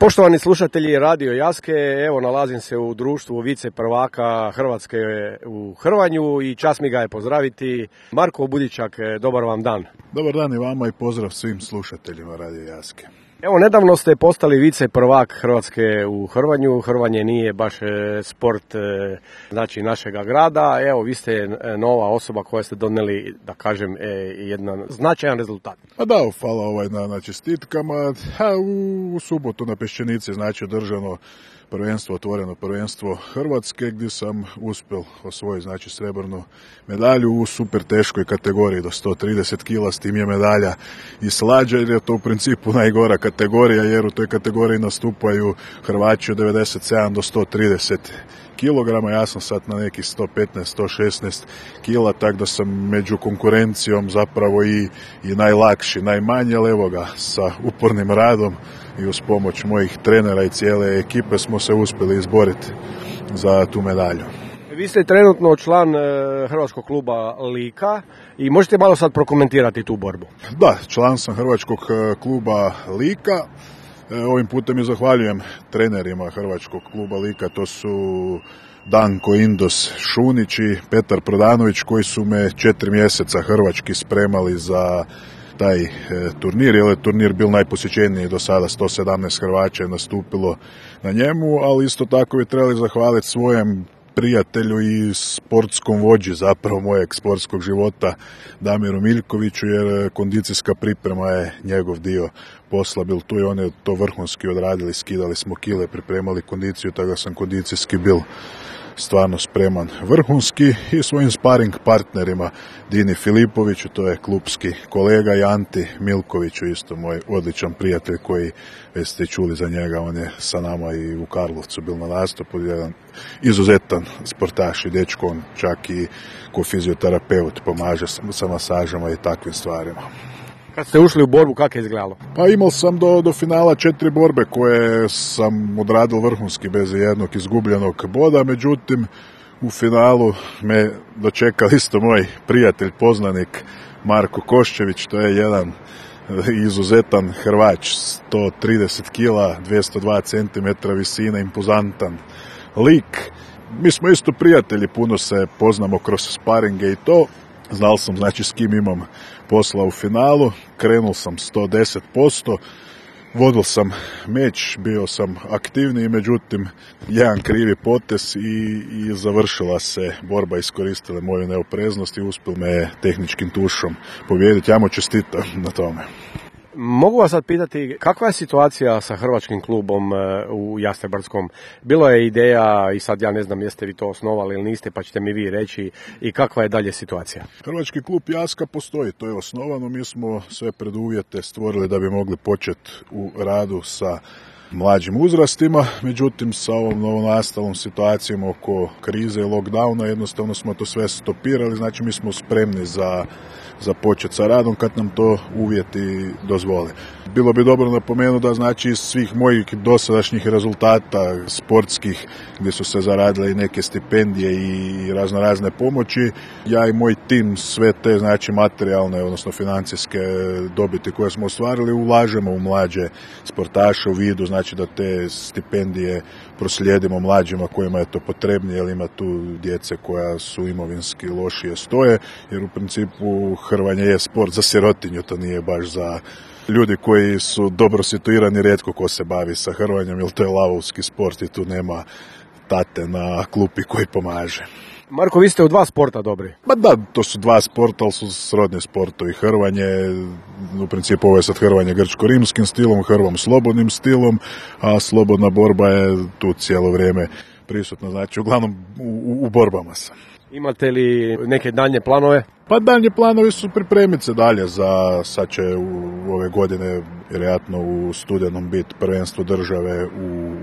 Poštovani slušatelji Radio Jaske, evo nalazim se u društvu vice prvaka Hrvatske u Hrvanju i čast mi ga je pozdraviti. Marko Budičak, dobar vam dan. Dobar dan i vama i pozdrav svim slušateljima Radio Jaske. Evo, nedavno ste postali vice prvak Hrvatske u Hrvanju. Hrvanje nije baš sport znači našega grada. Evo, vi ste nova osoba koja ste donijeli, da kažem, jedan značajan rezultat. A da, hvala na čestitkama. U subotu na Peščenici znači održano prvenstvo, otvoreno prvenstvo Hrvatske, gdje sam uspjel osvojiti znači srebrnu medalju u super teškoj kategoriji do 130 kila. S tim je medalja i slađa, jer je to u principu najgora kategorija, jer u toj kategoriji nastupaju Hrvaći od 97 do 130 kilograma. Ja sam sad na nekih 115-116 kila, tako da sam među konkurencijom zapravo i najlakši, najmanji, ali evo ga, sa upornim radom i uz pomoć mojih trenera i cijele ekipe smo se uspjeli izboriti za tu medalju. Vi ste trenutno član Hrvatskog kluba Lika i možete malo sad prokomentirati tu borbu. Da, član sam Hrvatskog kluba Lika. Ovim putem i zahvaljujem trenerima Hrvatskog kluba Lika, to su Danko Indos Šunić i Petar Prodanović, koji su me 4 mjeseca hrvački spremali za taj turnir, jer je turnir bil najposjećeniji do sada, 117 Hrvaća je nastupilo na njemu, ali isto tako bi trebali zahvaliti svojem prijatelju i sportskom vođi zapravo mojeg sportskog života, Damiru Miljkoviću, jer kondicijska priprema je njegov dio posla bil tu i on je to vrhunski odradili, skidali smo kile, pripremali kondiciju, tako da sam kondicijski bil stvarno spreman vrhunski, i svojim sparing partnerima Dini Filipoviću, to je klubski kolega, i Anti Milkoviću, isto moj odličan prijatelj koji već ste čuli za njega, on je sa nama i u Karlovcu bil na nastupu, jedan izuzetan sportaš i dečko, on čak i ko fizioterapeut pomaže sa masažama i takvim stvarima. Kad ste ušli u borbu, kako je izgledalo? Pa imao sam do finala 4 borbe koje sam odradio vrhunski bez jednog izgubljenog boda, međutim u finalu me dočekao isto moj prijatelj, poznanik Marko Koščević, to je jedan izuzetan Hrvač, 130 kila, 202 cm visine, impozantan lik. Mi smo isto prijatelji, puno se poznamo kroz sparinge i to. Znal sam znači s kim imam posla u finalu, krenuo sam 110%, vodil sam meč, bio sam aktivniji, međutim jedan krivi potez i završila se borba, iskoristila moju neopreznost i uspio me tehničkim tušom pobijediti. Ja mu čestitam na tome. Mogu vas sad pitati, kakva je situacija sa Hrvatskim klubom u Jastrebarskom? Bilo je ideja i sad ja ne znam jeste vi to osnovali ili niste, pa ćete mi vi reći, i kakva je dalje situacija? Hrvatski klub Jaska postoji, to je osnovano, mi smo sve preduvjete stvorili da bi mogli početi u radu sa mlađim uzrastima, međutim sa ovom novonastalom situacijom oko krize i lockdowna jednostavno smo to sve stopirali, znači mi smo spremni za početi sa radom kad nam to uvjeti dozvole. Bilo bi dobro napomenuti da znači iz svih mojih dosadašnjih rezultata sportskih, gdje su se zaradile i neke stipendije i razne pomoći, ja i moj tim sve te znači materijalne, odnosno financijske dobiti koje smo ostvarili ulažemo u mlađe sportaše u vidu znači da te stipendije proslijedimo mlađima kojima je to potrebnije, jer ima tu djece koja su imovinski lošije stoje, jer u principu hrvanje je sport za sirotinju, to nije baš za ljudi koji su dobro situirani, rijetko ko se bavi sa hrvanjem, jer to je lavovski sport i tu nema tate na klupi koji pomaže. Marko, vi ste u 2 sporta dobri. Pa da, to su 2 sporta, ali su srodni sportovi. Hrvanje, u principu ovo je sad hrvanje grčko-rimskim stilom, hrvom slobodnim stilom, a slobodna borba je tu cijelo vrijeme prisutna, znači uglavnom u borbama sam. Imate li neke daljnje planove? Pa daljnji planovi su pripremiti se dalje za, sad će u ove godine vjerojatno u studenom biti prvenstvo države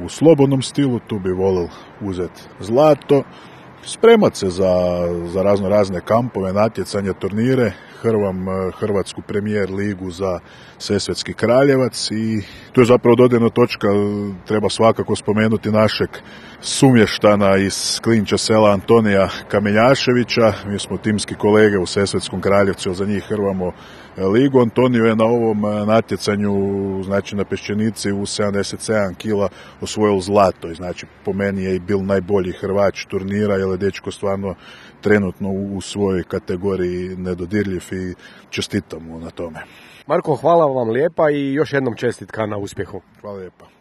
u slobodnom stilu, tu bi volio uzeti zlato. Spremat se za razne kampove, natjecanje, turnire, Hrvatsku premijer ligu za Sesvetski Kraljevac i tu je zapravo dodirna točka, treba svakako spomenuti našeg sumještana iz Klinča sela Antonija Kamenjaševića. Mi smo timski kolege u Sesvetskom Kraljevcu, za njih hrvamo ligu. Antonio je na ovom natjecanju, znači na Peščenici u 77 kila osvojil zlato. Znači po meni je i bil najbolji Hrvač turnira, jer je dečko stvarno trenutno u svojoj kategoriji nedodirljiv i čestitam mu na tome. Marko, hvala vam lijepa i još jednom čestitka na uspjehu. Hvala lijepa.